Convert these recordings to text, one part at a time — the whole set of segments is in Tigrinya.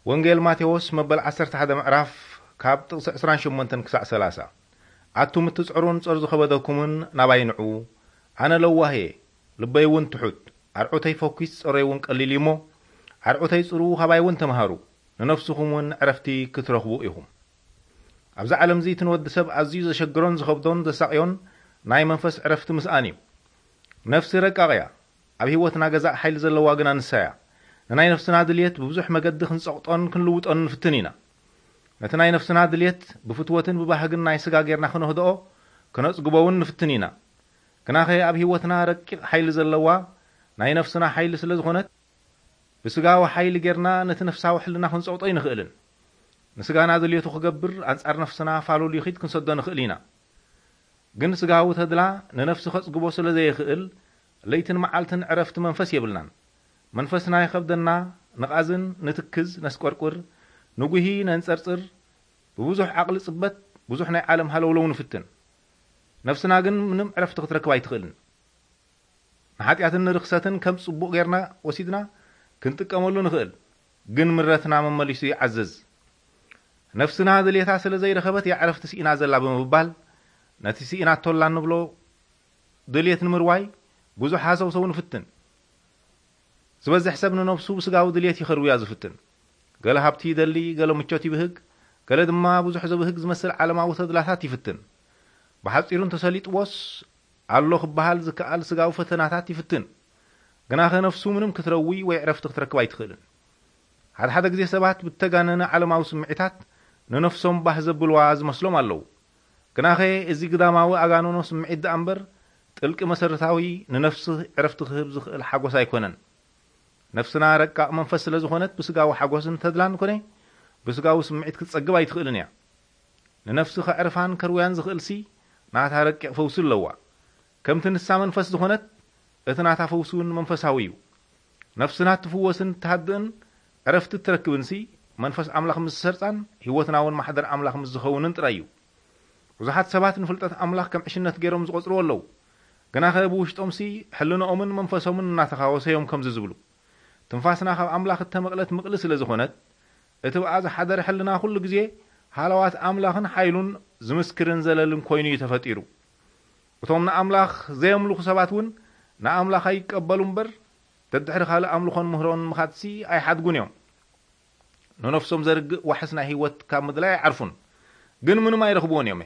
ወንጌል ማቴዎስ መበል ዓሰርተ ሓደ ምዕራፍ ካብ ጥቕሲ ዕስራን ሸሞንተን ክሳዕ ሰላሳ። ኣቱም እትጽዕሩን ጾር ዝኸበደኩምን ናባይ ንዑ፣ ኣነ ለዋህ እየ፣ ልበይ እውን ትሑት፣ ኣርዑተይ ፈኲስ ጾረይ እውን ቀሊል እዩ እሞ፣ ኣርዑተይ ጽሩ፣ ካባይ እውን ተምሃሩ፣ ንነፍስኹም እውን ዕረፍቲ ክትረኽቡ ኢኹም። ኣብዚ ዓለም እዚ እቲ ንወዲ ሰብ ኣዝዩ ዘሸግሮን ዝኸብዶን ዘሳቕዮን ናይ መንፈስ ዕረፍቲ ምስኣን እዩ። ነፍሲ ረቃቕ እያ። ኣብ ህይወትና ገዛእ ሓይሊ ዘለዋ ግና ንሳ እያ። ንናይ ነፍስና ድልየት ብብዙሕ መገዲ ክንጸቕጦን ክንልውጦን ንፍትን ኢና። ነቲ ናይ ነፍስና ድልየት ብፍትወትን ብባህግን ናይ ስጋ ጌርና ክነህድኦ፣ ክነጽግቦ እውን ንፍትን ኢና። ግናኸ ኣብ ህይወትና ረቂቕ ሓይሊ ዘለዋ ናይ ነፍስና ሓይሊ ስለ ዝኾነት፣ ብስጋዊ ሓይሊ ጌርና ነቲ ነፍሳዊ ሕልና ክንጸቕጦ ኣይንኽእልን። ንስጋና ድልየቱ ክገብር ኣንጻር ነፍስና ፋሉል ይኺድ ክንሰዶ ንኽእል ኢና። ግን ስጋዊ ተድላ ንነፍሲ ከጽግቦ ስለ ዘይኽእል፣ ለይትን መዓልትን ዕረፍቲ መንፈስ የብልናን። መንፈስና ይኸብደና፣ ንቓዝን፣ ንትክዝ፣ ነስቆርቁር፣ ንጉሂ፣ ነንጸርጽር፣ ብብዙሕ ዓቕሊ ጽበት፣ ብዙሕ ናይ ዓለም ሃለውለው ንፍትን። ነፍስና ግን ምንም ዕረፍቲ ክትረክብ ኣይትኽእልን። ንሓጢኣትን ንርኽሰትን ከም ጽቡቕ ጌርና ወሲድና ክንጥቀመሉ ንኽእል፣ ግን ምረትና መመሊሱ ይዓዝዝ። ነፍስና ድልየታ ስለ ዘይረኸበት እያ ዕረፍቲ ስኢና ዘላ ብምባል፣ ነቲ ስኢናቶላ እንብሎ ድልየት ንምርዋይ ብዙሕ ሃሰውሰው ንፍትን። ዝበዝሕ ሰብ ንነፍሱ ብስጋዊ ድልየት ይኸርውያ ዝፍትን። ገለ ሃብቲ ይደሊ፣ ገለ ምቾት ይብህግ፣ ገለ ድማ ብዙሕ ዘብህግ ዝመስል ዓለማዊ ተድላታት ይፍትን። ብሓጺሩ እንተሰሊጥዎስ ኣሎ ክበሃል ዝከኣል ስጋዊ ፈተናታት ይፍትን። ግናኸ ነፍሱ ምንም ክትረዊ ወይ ዕረፍቲ ክትረክብ ኣይትኽእልን። ሓደ ሓደ ግዜ ሰባት ብተጋነነ ዓለማዊ ስምዒታት ንነፍሶም ባህ ዘብልዋ ዝመስሎም ኣለዉ። ግናኸ እዚ ግዳማዊ ኣጋንኖ ስምዒት ደኣ እምበር ጥልቂ መሰረታዊ ንነፍሲ ዕረፍቲ ክህብ ዝኽእል ሓጎስ ኣይኮነን። ነፍስና ረቃቕ መንፈስ ስለ ዝኾነት ብስጋዊ ሓጎስን ተድላን ኮነ ብስጋዊ ስምዒት ክትጸግብ ኣይትኽእልን እያ። ንነፍሲ ከዕርፋን ከርውያን ዝኽእልሲ ናታ ረቂቕ ፈውሲ ኣለዋ። ከምቲ ንሳ መንፈስ ዝኾነት እቲ ናታ ፈውሲ እውን መንፈሳዊ እዩ። ነፍስና እትፍወስን እትሃድእን ዕረፍቲ እትረክብንሲ መንፈስ ኣምላኽ ምስ ዝሰርጻን ህይወትና እውን ማሕደር ኣምላኽ ምስ ዝኸውንን ጥራይ እዩ። ብዙሓት ሰባት ንፍልጠት ኣምላኽ ከም ዕሽነት ገይሮም ዝቖጽርዎ ኣለዉ። ግናኸ ብውሽጦምሲ ሕልንኦምን መንፈሶምን እናተኻወሰ እዮም ከምዚ ዝብሉ። ትንፋስና ካብ ኣምላኽ እተመቕለት ምቕሊ ስለ ዝኾነት፣ እቲ ብኣ ዝሓደረ ሕልና ኩሉ ግዜ ሃለዋት ኣምላኽን ሓይሉን ዝምስክርን ዘለልን ኮይኑ እዩ ተፈጢሩ። እቶም ንኣምላኽ ዘየምልኹ ሰባት እውን ንኣምላኽ ኣይቀበሉ እምበር፣ ደድሕሪ ካልእ ኣምልኾን ምህሮን ምኻድሲ ኣይሓድጉን እዮም። ንነፍሶም ዘርግእ ዋሕስ ናይ ህይወት ካብ ምድላይ ኣይዓርፉን፣ ግን ምንም ኣይረኽብዎን እዮም።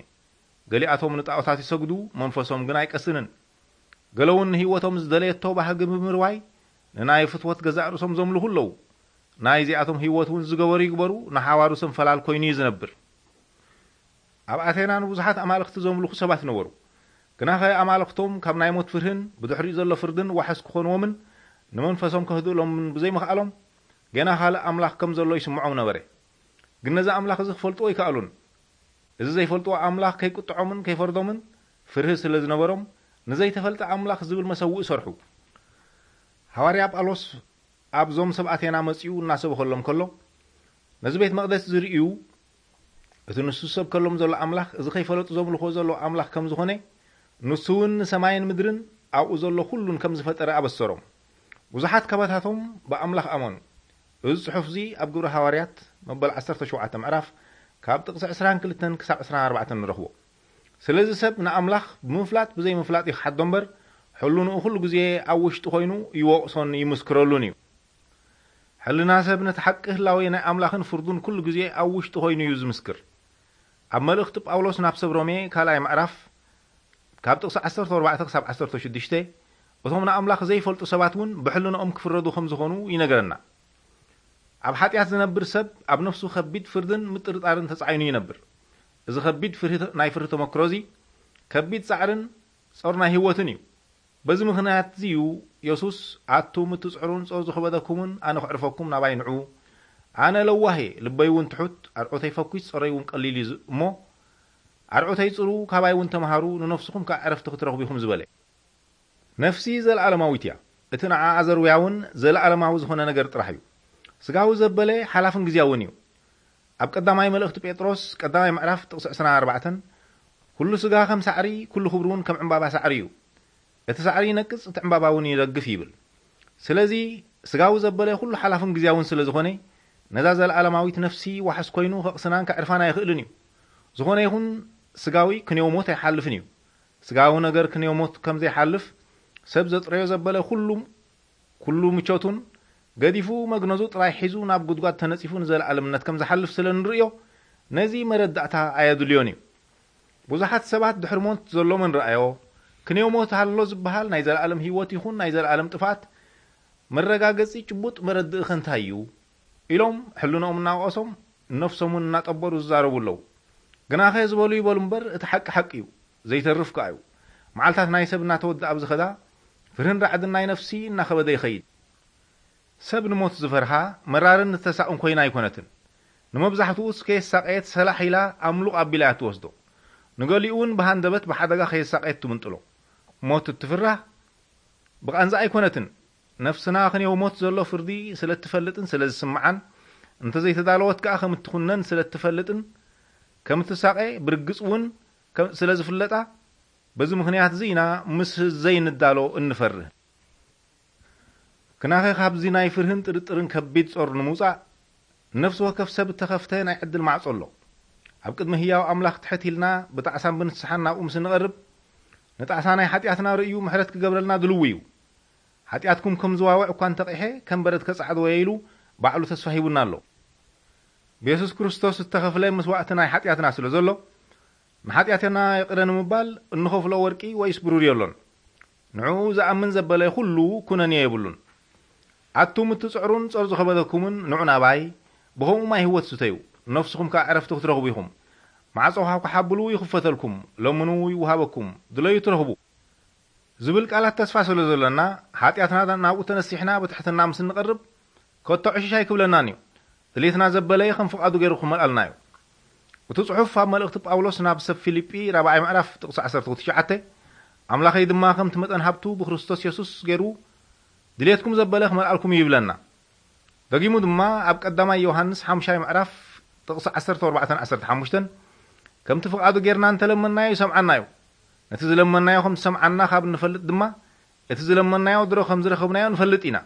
ገሊኣቶም ንጣዖታት ይሰግዱ፣ መንፈሶም ግን ኣይቀስንን። ገለ እውን ንህይወቶም ዝደለየቶ ባህጊ ብምርዋይ ንናይ ፍትወት ገዛእ ርእሶም ዘምልኹ ኣለዉ። ናይዚኣቶም ህይወት እውን ዝገበሩ ይግበሩ፣ ንሓዋሩ ሰንፈላል ኮይኑ እዩ ዝነብር። ኣብ ኣቴና ንብዙሓት ኣማልኽቲ ዘምልኹ ሰባት ነበሩ። ግናኸ ኣማልኽቶም ካብ ናይ ሞት ፍርህን ብድሕሪኡ ዘሎ ፍርድን ዋሕስ ክኾንዎምን ንመንፈሶም ከህድእሎምን ብዘይምኽኣሎም፣ ገና ካልእ ኣምላኽ ከም ዘሎ ይስምዖም ነበረ። ግን ነዚ ኣምላኽ እዚ ክፈልጥዎ ኣይከኣሉን። እዚ ዘይፈልጥዎ ኣምላኽ ከይቁጥዖምን ከይፈርዶምን ፍርሂ ስለ ዝነበሮም፣ ንዘይተፈልጠ ኣምላኽ ዝብል መሰውኢ ሰርሑ። ሃዋርያ ጳውሎስ ኣብዞም ሰብ ኣቴና መጺኡ እናሰበኸሎም ከሎ፣ ነዚ ቤት መቕደስ ዝርእዩ፣ እቲ ንሱ ዝሰብከሎም ዘሎ ኣምላኽ፣ እዚ ከይፈለጡ ዘምልኽዎ ዘለዉ ኣምላኽ ከም ዝኾነ፣ ንሱ እውን ንሰማይን ምድርን ኣብኡ ዘሎ ኩሉን ከም ዝፈጠረ ኣበሰሮም። ብዙሓት ካባታቶም ብኣምላኽ ኣመኑ። እዚ ጽሑፍ እዚ ኣብ ግብሪ ሃዋርያት መበል ዓሰርተ ሸውዓተ ምዕራፍ ካብ ጥቕሲ ዕስራን ክልተን ክሳብ ዕስራን ኣርባዕተን ንረኽቦ። ስለዚ ሰብ ንኣምላኽ ብምፍላጥ ብዘይምፍላጥ ይኽሓዶ እምበር፣ ሕልንኡ ኩሉ ግዜ ኣብ ውሽጢ ኮይኑ ይወቕሶን ይምስክረሉን እዩ። ሕልና ሰብ ነቲ ሓቂ ህላዌ ናይ ኣምላኽን ፍርዱን ኩሉ ግዜ ኣብ ውሽጢ ኮይኑ እዩ ዝምስክር። ኣብ መልእኽቲ ጳውሎስ ናብ ሰብ ሮሜ ካልኣይ ምዕራፍ ካብ ጥቕሲ ዓሰርተ ኣርባዕተ ክሳብ ዓሰርተ ሽዱሽተ፣ እቶም ንኣምላኽ ዘይፈልጡ ሰባት እውን ብሕልንኦም ክፍረዱ ከም ዝኾኑ ይነግረና። ኣብ ሓጢኣት ዝነብር ሰብ ኣብ ነፍሱ ከቢድ ፍርድን ምጥርጣርን ተጻዒኑ ይነብር። እዚ ከቢድ ፍርሂ፣ ናይ ፍርሂ ተመክሮ እዚ ከቢድ ጻዕርን ጾር ናይ ህይወትን እዩ። በዚ ምኽንያት እዚ እዩ የሱስ፣ ኣቱም እትጽዕሩን ጾር ዝኸበደኩምን፣ ኣነ ከዕርፈኩም ናባይ ንዑ። ኣነ ለዋህ እየ፣ ልበይ እውን ትሑት፣ ኣርዑተይ ፈኲስ፣ ጾረይ እውን ቀሊል እዩ ዝ-፣ እሞ ኣርዑተይ ጽሩ፣ ካባይ እውን ተምሃሩ፣ ንነፍስኹም ከኣ ዕረፍቲ ክትረኽቡ ኢኹም ዝበለ። ነፍሲ ዘለኣለማዊት እያ። እቲ ንዓኣ ዘርውያ እውን ዘለኣለማዊ ዝኾነ ነገር ጥራሕ እዩ። ስጋዊ ዘበለ ሓላፍን ግዝያውን እዩ። ኣብ ቀዳማይ መልእኽቲ ጴጥሮስ ቀዳማይ ምዕራፍ ጥቕሲ ዕስራን ኣርባዕተን፣ ኩሉ ስጋ ከም ሳዕሪ፣ ኩሉ ክብሪ እውን ከም ዕምባባ ሳዕሪ እዩ። እቲ ሳዕሪ ይነቅጽ፣ እቲ ዕምባባ እውን ይረግፍ ይብል። ስለዚ ስጋዊ ዘበለ ኩሉ ሓላፍን ግዝያውን ስለ ዝኾነ፣ ነዛ ዘለዓለማዊት ነፍሲ ዋሕስ ኮይኑ ከቕስናን ከዕርፋን ኣይኽእልን እዩ። ዝኾነ ይኹን ስጋዊ ክንየው ሞት ኣይሓልፍን እዩ። ስጋዊ ነገር ክንየው ሞት ከም ዘይሓልፍ ሰብ ዘጥረዮ ዘበለ ኩሉ፣ ኩሉ ምቾቱን ገዲፉ መግነዙ ጥራይ ሒዙ ናብ ጉድጓድ ተነጺፉ ንዘለዓለምነት ከም ዝሓልፍ ስለ ንርእዮ፣ ነዚ መረዳእታ ኣየድልዮን እዩ። ብዙሓት ሰባት ድሕሪ ሞት ዘሎ መን ረኣዮ? ክንየው ሞት ኣሎ ዝበሃል ናይ ዘለዓለም ህይወት ይኹን ናይ ዘለዓለም ጥፍኣት መረጋገጺ ጭቡጥ መረድእ ከ እንታይ እዩ? ኢሎም ሕልንኦም እናወቐሶም ነፍሶም እውን እናጠበሩ ዝዛረቡ ኣለዉ። ግናኸ ዝበሉ ይበሉ እምበር እቲ ሓቂ ሓቂ እዩ፣ ዘይተርፍ ከኣ እዩ። መዓልታት ናይ ሰብ እናተወድኣ ኣብ ዝኸዳ ፍርህን ራዕድን ናይ ነፍሲ እናኸበደ ይኸይድ። ሰብ ንሞት ዝፈርሃ መራርን ዝተሳቕን ኮይና ኣይኮነትን። ንመብዛሕትኡስ ከየሳቐየት ሰላሕ ኢላ ኣምሉቕ ኣቢላ እያ ትወስዶ። ንገሊኡ እውን ብሃንደበት ብሓደጋ ከየሳቐየት ትምንጥሎ። ሞት እትፍራህ ብቓንዛ ኣይኮነትን። ነፍስና ክንየው ሞት ዘሎ ፍርዲ ስለ እትፈልጥን ስለ ዝስምዓን፣ እንተዘይተዳለወት ከኣ ከም እትኹነን ስለ እትፈልጥን ከም እትሳቐ ብርግጽ እውን ከም፣ ስለ ዝፍለጣ፣ በዚ ምኽንያት እዚ ኢና ምስ ዘይንዳሎ እንፈርህ። ክናኸ ካብዚ ናይ ፍርህን ጥርጥርን ከቢድ ጾር ንምውጻእ፣ ነፍሲ ወከፍ ሰብ እተኸፍተ ናይ ዕድል ማዕጾ ኣሎ። ኣብ ቅድሚ ህያው ኣምላኽ ትሕት ኢልና ብጣዕሳን ብንስሓን ናብኡ ምስ እንቐርብ፣ ንጣዕሳ ናይ ሓጢኣትና ርእዩ ምሕረት ክገብረልና ድልው እዩ። ሓጢኣትኩም ከም ዝዋውዕ እኳ እንተቕሐ፣ ከም በረድ ከጻዕድወዮ ኢሉ ባዕሉ ተስፋ ሂቡና ኣሎ። ብየሱስ ክርስቶስ እተኸፍለ መስዋእቲ ናይ ሓጢኣትና ስለ ዘሎ፣ ንሓጢኣትና ይቕረ ንምባል እንኸፍሎ ወርቂ ወይስ ብሩር የሎን። ንዕኡ ዝኣምን ዘበለ ኩሉ ኩነንዮ የብሉን። ኣቱም እትጽዕሩን ጾር ዝኸበደኩምን ንዑ ናባይ፣ ብኸምኡ ማይ ህይወት ስተዩ፣ ነፍስኹም ከኣ ዕረፍቲ ክትረኽቡ ኢኹም። ማዕጾ ሃብኩ ሓብሉ ይኽፈተልኩም፣ ለምኑ ይውሃበኩም፣ ድለዩ ትረኽቡ። ዝብል ቃላት ተስፋ ስለ ዘሎና፣ ሓጢኣትና ናብኡ ተነሲሕና ብትሕትና ምስ እንቐርብ፣ ከቶ ዕሽሽ ኣይክብለናን እዩ። ድሌትና ዘበለየ ከም ፍቓዱ ገይሩ ክመልኣልና እዩ። እቲ ጽሑፍ ኣብ መልእኽቲ ጳውሎስ ናብ ሰብ ፊልጲ ራብዓይ ምዕራፍ ጥቕሲ ዓሰርተ ትሽዓተ፣ ኣምላኸይ ድማ ከምቲ መጠን ሃብቱ ብክርስቶስ የሱስ ገይሩ ድሌትኩም ዘበለ ክመልኣልኩም እዩ ይብለና። ደጊሙ ድማ ኣብ ቀዳማይ ዮሃንስ ሓሙሻይ ምዕራፍ ጥቕሲ ዓሰርተ ኣርባዕተን ዓሰርተ ሓሙሽተን፣ ከምቲ ፍቓዱ ጌርና እንተለመናዮ ይሰምዓና እዩ። ነቲ ዝለመናዮ ከም ዝሰምዓና ካብ እንፈልጥ ድማ፣ እቲ ዝለመናዮ ድሮ ከም ዝረኸብናዮ ንፈልጥ ኢና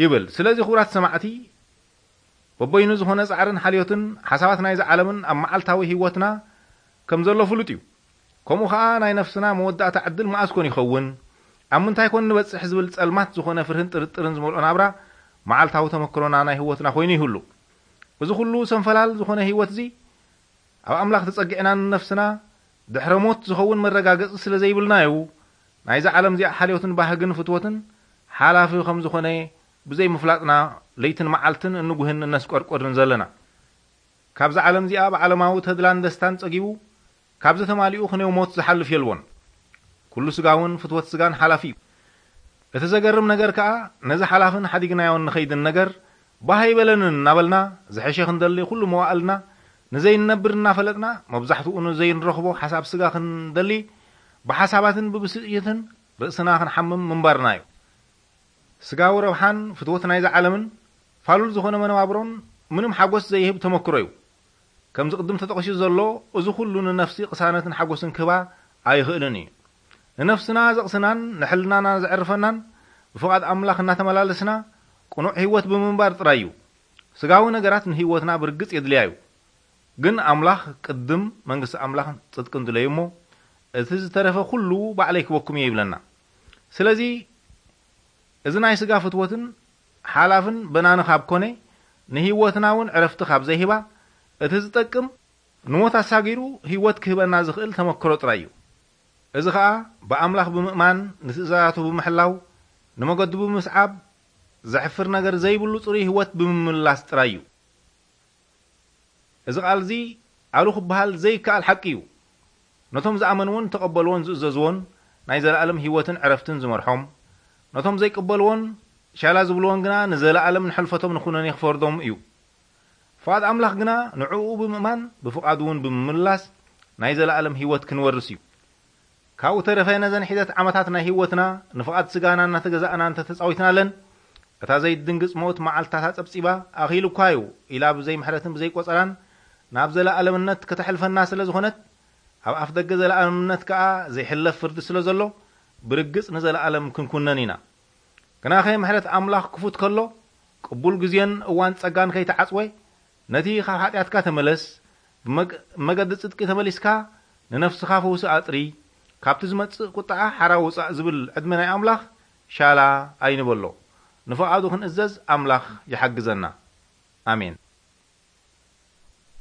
ይብል። ስለዚ ክቡራት ሰማዕቲ፣ በበይኑ ዝኾነ ጻዕርን ሓልዮትን ሓሳባት ናይዚ ዓለምን ኣብ መዓልታዊ ህይወትና ከም ዘሎ ፍሉጥ እዩ። ከምኡ ኸኣ ናይ ነፍስና መወዳእታ ዕድል መኣስ ኮን ይኸውን? ኣብ ምንታይ ኮን ንበጽሕ ዝብል ጸልማት ዝኾነ ፍርህን ጥርጥርን ዝመልኦ ናብራ መዓልታዊ ተመክሮና ናይ ህይወትና ኮይኑ ይህሉ። እዚ ኩሉ ሰንፈላል ዝኾነ ህይወት እዚ ኣብ ኣምላኽ ተጸጊዕና ንነፍስና ድሕረ ሞት ዝኸውን መረጋገጺ ስለ ዘይብልና እዩ። ናይዚ ዓለም እዚኣ ሓልዮትን ባህግን ፍትወትን ሓላፊ ከም ዝኾነ ብዘይ ምፍላጥና ለይትን መዓልትን እንጉህን እነስቆርቆርን ዘለና። ካብዚ ዓለም እዚኣ ብዓለማዊ ተድላን ደስታን ጸጊቡ ካብዚ ተማሊኡ ክንየው ሞት ዝሓልፍ የልቦን። ኩሉ ስጋውን ፍትወት ስጋን ሓላፊ እዩ። እቲ ዘገርም ነገር ከኣ ነዚ ሓላፍን ሓዲግናዮን ንኸይድን ነገር ባህ ኣይበለንን እናበልና ዝሐሸ ክንደሊ ኩሉ መዋእልና ንዘይንነብር እናፈለጥና መብዛሕትኡ ንዘይንረኽቦ ሓሳብ ስጋ ክንደሊ ብሓሳባትን ብብስጭትን ርእስና ክንሓምም ምንባርና እዩ። ስጋዊ ረብሓን ፍትወት ናይዚ ዓለምን ፋሉል ዝኾነ መነባብሮን ምንም ሓጎስ ዘይህብ ተመክሮ እዩ። ከምዚ ቅድም ተጠቒሱ ዘሎ፣ እዚ ኩሉ ንነፍሲ ቅሳነትን ሓጎስን ክህባ ኣይኽእልን እዩ። ንነፍስና ዘቕስናን ንሕልናና ዘዕርፈናን ብፍቓድ ኣምላኽ እናተመላለስና ቅኑዕ ህይወት ብምንባር ጥራይ እዩ። ስጋዊ ነገራት ንህይወትና ብርግጽ የድልያ እዩ። ግን ኣምላኽ ቅድም መንግስቲ ኣምላኽን ጽድቅን ድለዩ እሞ፣ እቲ ዝተረፈ ኩሉ ባዕለይ ክበኩም እየ ይብለና። ስለዚ እዚ ናይ ስጋ ፍትወትን ሓላፍን በናኒ ካብ ኮነ፣ ንህይወትና እውን ዕረፍቲ ካብ ዘይህባ፣ እቲ ዝጠቅም ንሞት ኣሳጊሩ ህይወት ክህበና ዝኽእል ተመክሮ ጥራይ እዩ። እዚ ኸኣ ብኣምላኽ ብምእማን፣ ንትእዛዛቱ ብምሕላው፣ ንመገዱ ብምስዓብ፣ ዘሕፍር ነገር ዘይብሉ ጽሩይ ህይወት ብምምላስ ጥራይ እዩ። እዚ ቃል እዚ ኣሉ ክበሃል ዘይከኣል ሓቂ እዩ። ነቶም ዝኣመንዎን ተቐበልዎን ዝእዘዝዎን ናይ ዘለኣለም ህይወትን ዕረፍትን ዝመርሖም፣ ነቶም ዘይቅበልዎን ሻላ ዝብልዎን ግና ንዘለኣለም ንሕልፈቶም ንኹነኔ ክፈርዶም እዩ። ፍቓድ ኣምላኽ ግና ንዕኡ ብምእማን ብፍቓዱ እውን ብምምላስ ናይ ዘለኣለም ህይወት ክንወርስ እዩ። ካብኡ ተረፈ ነዘን ሒደት ዓመታት ናይ ህይወትና ንፍቓድ ስጋና እናተገዛእና እንተተጻዊትናለን፣ እታ ዘይድንግጽ ሞት መዓልትታታ ጸብጺባ ኣኺሉ እኳ እዩ ኢላ ብዘይ ምሕረትን ብዘይ ቆጸራን ናብ ዘለኣለምነት ከተሕልፈና ስለ ዝኾነት፣ ኣብ ኣፍ ደገ ዘለኣለምነት ከኣ ዘይሕለፍ ፍርዲ ስለ ዘሎ፣ ብርግጽ ንዘለኣለም ክንኩነን ኢና። ግናኸ ምሕረት ኣምላኽ ክፉት ከሎ፣ ቅቡል ግዜን እዋን ጸጋን ከይተዓጽወ፣ ነቲ ካብ ሓጢኣትካ ተመለስ፣ ብመግ-፣ መገዲ ጽድቂ ተመሊስካ፣ ንነፍስኻ ፈውሲ ኣጥሪ፣ ካብቲ ዝመጽእ ቁጥዓ ሓራ ውጻእ ዝብል ዕድመ ናይ ኣምላኽ ሻላ ኣይንበሎ። ንፍቓዱ ክንእዘዝ ኣምላኽ ይሓግዘና። ኣሜን።